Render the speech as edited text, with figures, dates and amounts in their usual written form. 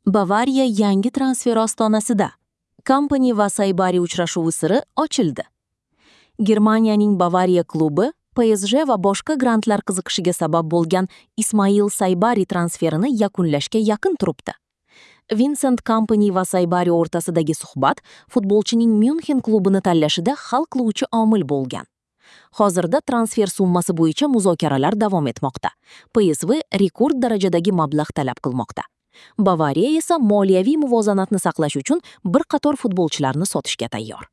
Bavariya yangi transfer ostonasida. Kompani va Saybari uchrashuvi siri ochildi. Germaniyaning Bavariya klubi PSG va boshqa grantlar qiziqishiga sabab bo'lgan Ismail Saybari transferini yakunlashga yaqin turibdi. Vincent Kompany va Saybari o'rtasidagi suhbat futbolchining Myunxen klubini tanlashida hal qiluvchi omil bo'lgan. Hozirda transfer summasi bo'yicha muzokaralar davom etmoqda. PSV rekord darajadagi mablag' talab qilmoqda. Bavariya esa moliyaviy muvozanatni saqlash uchun bir qator futbolchilarni sotishga tayyor.